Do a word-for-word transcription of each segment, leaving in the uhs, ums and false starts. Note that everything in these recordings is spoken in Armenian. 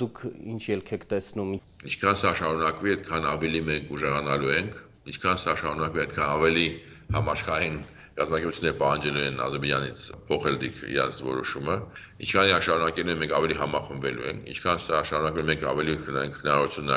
Դուք ինչ ելք եք տեսնում։ Ինչքան սա շարունակվի, այդքան ավելի մենք ուժեղանալու ենք, ինչքան սա շարունակվի, այդքան ավելի համաշխարհային կազմակերպությունները պահանջելու են Ադրբեջանից փոխել իրենց որոշումը, ինչքան այն շարունակելու են մենք ավելի համախմբվելու ենք, ինչքան սա շարունակվի մենք ավելի կունենանք հնարավորություն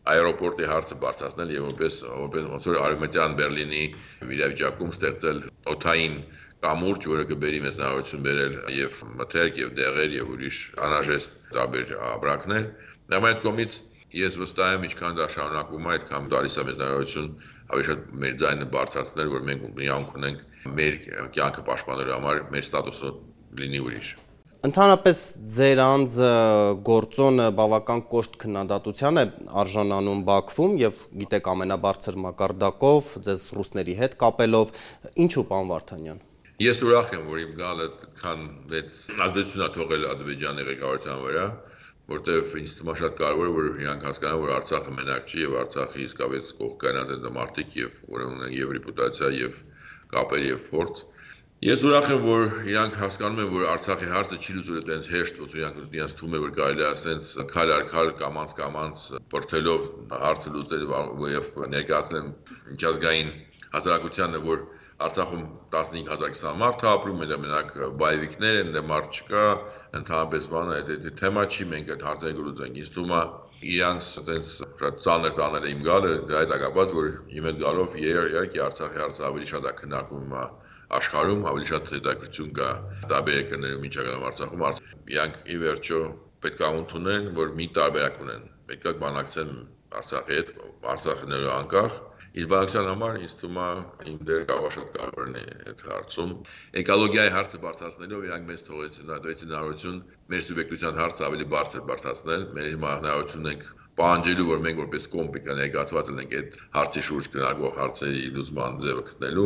այերոպորտի հարցը բարձրացնել եւ որպես որպես ոնց որ արևմտյան Բերլինի վիճակում ստեղծել օթային կամուրջ, որը կբերի մեզ հնարավորություն բերել եւ մթերք եւ դեղեր եւ ուրիշ անհրաժեշտ տարբեր ապրանքներ։ Նաեւ այդ կողմից ես վստահ եմ, ինչքան դա շարունակվում է, այդքան տալիս է մեզ հնարավորություն ավելի շատ մեր ձայնը բարձրացնել, որ մենք միանք ունենք մեր կյանքը պաշտպանելու համար մեր ստատուսը լինի ուրիշ։ Ընդհանրապես ձեր անձը գործոնը բավական կոշտ քննադատության է արժանանում Բաքվում եւ գիտեք ամենաբարձր մակարդակով ձեզ ռուսների հետ կապելով, ինչու պարոն Վարդանյան։ Ես ուրախ եմ, որ իմ գալը քան մեծ ազդեցություն է թողել Ադրբեջանի ղեկավարության վրա, որտեղ ինձ թվում է շատ կարևոր է, որ իրանք հասկանան, որ Արցախը մենակ չի եւ Արցախի իսկապես կողքանած են մարդիկ եւ որ ունեն եւ ռեպուտացիա եւ կապեր եւ փորձ։ Ես ուրախ եմ, որ իրանք հասկանում են, որ Արցախի հարցը չի լուծվել այդպես հեշտ, ոնց իրանք իրենց թվում է, որ կարելի է ասենց քայլ առ քայլ կամած կամած բրթելով հարցը լուծել եւ ներկայացնել միջազգային հասարակությանը, որ Արցախում տասնհինգ հազար մարդ է ապրում, մենակ բայվիկներ են, մարդ չկա, ընդհանրապես բանը այդ թեմա չի, մենք այդ հարցերը կլուծենք։ Ինձ թվում է իրանց այդպես շատ ծանր տանել իմ գալը, դա հետ ակապած, որ իմ հետ գալով իհարկե Արցախի հարցը ավելի շատ է քննարկվում աշխարհում, ավելի շատ հետաքրքրություն կա տարբեր երկրներում միջակայքում Արցախում։ Իրանք ի վերջո պետք է ընդունեն, որ մի տարբերակ ունեն։ Պետք է բանակցեն Արցախի հետ, Արցախիները անկախ։ Իսկ բանակցության համար ինձ թվում է իմ դերը կարող շատ կարևորն է այդ հարցում։ Էկոլոգիայի հարցը բարձրացնելով իրանք մեզ թողեցին հնարավորություն մեր սուբյեկտության հարցը ավելի բարձր բարձրացնել։ Մեր հնարավորություն ենք պահանջելու, որ մենք որպես կողմ ներկայացված ենք այդ հարցի շուրջ քննարկվող հարցերի լուծման ձևը գտնելու